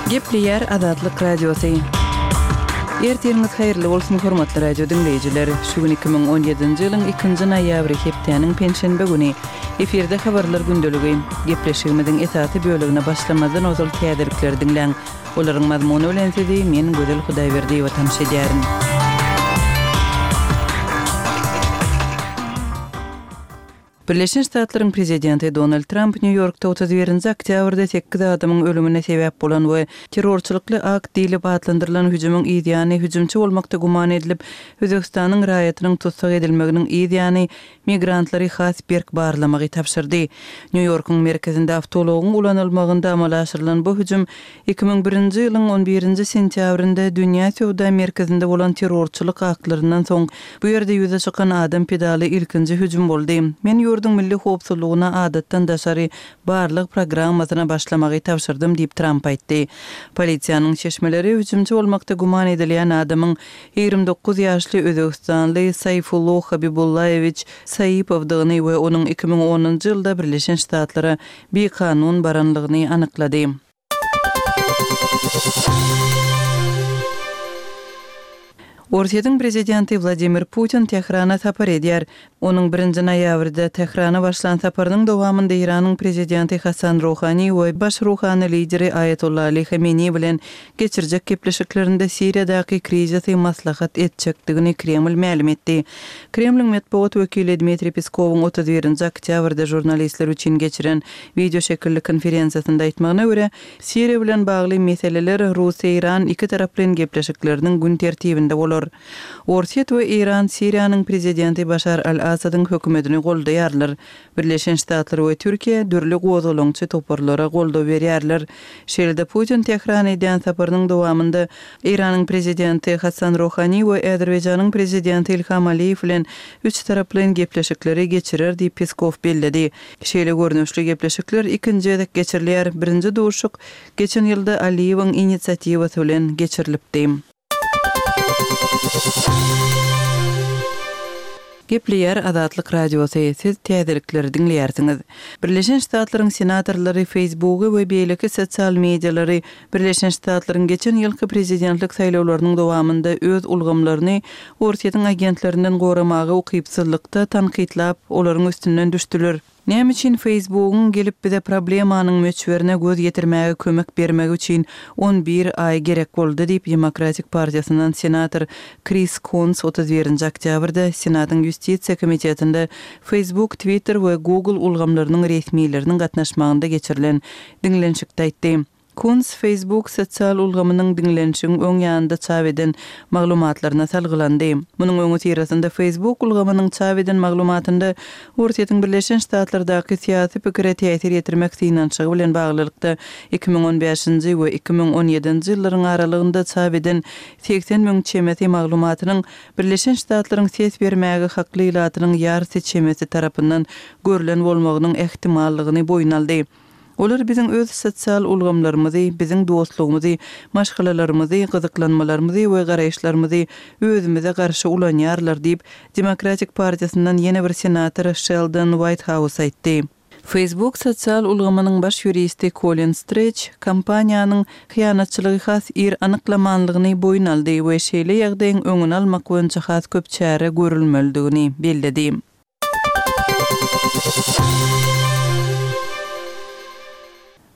Gepleýär Azatlyk Radiosy. Ertiriňiz haýyrly bolsun, hormatly radio diňleýjiler! Şu gün 2017-nji ýylyň ikinji noýabry, hepdäniň penşenbe güni. Efirde habarlar gündeligi. Gepleşigimiziň esasy bölegine başlamazdan ozal täzelikleri diňläň. Olaryň mazmuny bilen sizi men Gözel Hudaýberdiýewa tanyş edýärin. Birleşen Ştatlaryň prezidenti Donald Tramp Nýu-Ýorkda 31-nji oktýabrda sekiz adamyň ölümine sebäp bolan we terrorçylykly akt diýlip atlandyrylan hüjümiň yz ýany hüjümçi bolmakda güman edilip, Özbegistanyň raýatynyň tussag edilmeginiň yz ýany migrantlary has berk barlamagy tabşyrdy. Nýu-Ýorkuň merkezinde awtoulagyň ulanylmagynda amala aşyrylan bu hüjüm 2001-nji ýylyň on birinji sentýabrynda Dünýä söwda merkezinde bolan terrorçylyk aktlaryndan soň bu ýerde ýüze çykan adam pidaly ilkinji hüjüm boldy. Men ýurduň milli howpsuzlygyna adatdan daşary barlag programmasyna başlamagy tabşyrdym diýip, Tramp aýtdy. Polisiýanyň çeşmeleri hüjümçi bolmakda güman edilýän adamyň 29 ýaşly özbegistanly Saýfullo Habibullaýewiç Saipowdygyny we onuň 2010-njy ýylda Birleşen Ştatlara bikanun baranlygyny anyklady. Orsýetiň prezidenti Wladimir Putin Tährana sapar edýär. Onuň birinji noýabrda Tährana başlan saparynyň dowamynda Eýranyň prezidenti Hasan Ruhani we baş ruhany lideri Aýatolla Ali Hameneý bilen geçirjek gepleşiklerinde Siriýadaky krizisi maslahat etjekdigini Kreml mälim etdi. Kremliň metbugat wekili Dmitriý Peskowyň 31-nji oktýabrda žurnalistler üçin geçiren wideoşekilli konferensiýasynda aýtmagyna görä, Siriýa bilen bagly meseleler rus-eýran ikitaraplaýyn gepleşikleriniň gün tertibinde bolar. Orsýet we Eýran Siriýanyň prezidenti Başar al-Assadyň hökümetini goldaýarlar. Birleşen Ştatlar we Türkiýe dürli gozgalaňçy toparlara goldaw berýärler. Şeýle-de Putin Tährana edýän saparynyň dowamynda Eýranyň prezidenti Hasan Ruhani we Azerbaýjanyň prezidenti Ilham Aliýew bilen üçtaraplaýyn gepleşikleri geçirer diýip Peskow belledi. Şeýle görnüşli gepleşikler ikinji gezek geçirilýär. Birinji duşuşyk geçen ýylda Aliýewiň inisiatiwasy bilen geçirilipdi. Gepleýär Azatlyk Radiosy, siz täzelikleri diňleýärsiňiz. Birleşen Ştatlaryň senatorlary Facebooky we beýleki sosial medialary Birleşen Ştatlaryň geçen ýylky prezidentlik saýlawlarynyň dowamynda öz ulgamlaryny Orsýetiň agentlerinden goramaga ukypsyzlykda tankytlap, olaryň üstünden düşdüler. Näme üçin Facebookyň gelip bize problemanyň möçberine göz ýetirmäge kömek bermegi üçin on bir aý gerek boldy diýip, Demokratik partiýasyndan senator Kris Kuns 31-nji oktýabrda Senatyň Ýustisiýa komitetinde Facebook, Twitter we Google ulgamlarynyň resmileriniň gatnaşmagynda geçirilen diňlenişikde aýtdy. Kuns Facebook sosial ulgamynyň diňlenişigiň öň ýanynda çap eden maglumatlaryna salgylandy. Munuň öňüsyrasynda Facebook ulgamynyň çap eden maglumatynda Orsýetiň Birleşen Ştatlardaky syýasy pikire täsir ýetirmek synanyşygy bilen baglylykda 2015-nji we 2017-nji ýyllaryň aralygynda çap eden 80 müň çemesi maglumatynyň Birleşen Ştatlaryň ses bermäge hakly ilatynyň ýarysy çemesi tarapyndan görlen bolmagynyň ähtimallygyny boýun aldy. Olar biziň öz sosial ulgamlarymyzy, biziň dostlugymyzy, maşgalalarymyzy, gyzyklanmalarymyzy we garaýyşlarymyzy özümize garşy ulanýarlar diýip, Demokratik partiýasyndan ýene bir senator Şeldon Waýthaus aýtdy. Facebook sosial ulgamynyň baş ýuristi Kolin Streç kompaniýanyň hyýanatçylygy has ir anyklamanlygyny boýun aldy we şeýle ýagdaýyň öňüni almak boýunça has köp çäre görülmelidigini belledi.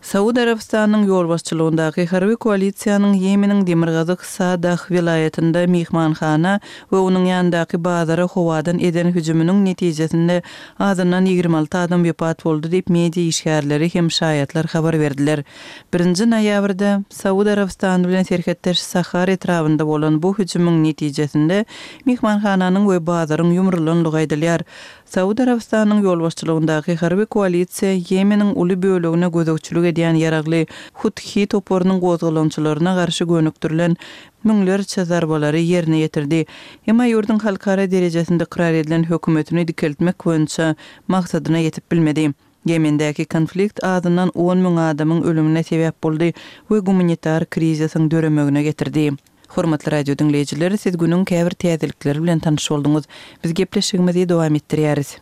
Saud Arabystanynyň ýolbaşçylygyndaky harby koalisiýanyň Ýemeniň demirgazyk Sadah welaýatynda myhmanhana we onuň ýanyndaky bazara howadan eden hüjüminiň netijesinde azyndan 26 adam wepat boldy diýip, media işgärleri hem şaýatlar habar berdiler. Birinji noýabrda Saud Arabystany bilen serhetdeş Sahar etrabynda bolan bu hüjümiň netijesinde myhmanhananyň we bazaryň ýumrulanlygy aýdylýar. Saud Arabystanynyň ýolbaşçylygyndaky harby koalisiýa Ýemeniň uly bölegine gözegçilik edýän ýaragly Huthi toparynyň gozgalaňçylaryna garşy gönükdirilen müňlerçe zarbalary ýerine ýetirdi. Emma ýurduň halkara derejesinde ykrar edilen hökümetini dikeltmek boýunça maksadyna ýetip bilmedi. Ýemendäki konflikt azyndan 10 müň adamyň ölümine sebäp boldy we gumanitar krizisiň döremegine getirdi. Hormatly radio diňleýjiler, siz günüň käbir täzelikleri bilen tanyş bolduňyz. Biz gepleşigimizi dowam etdirýäris.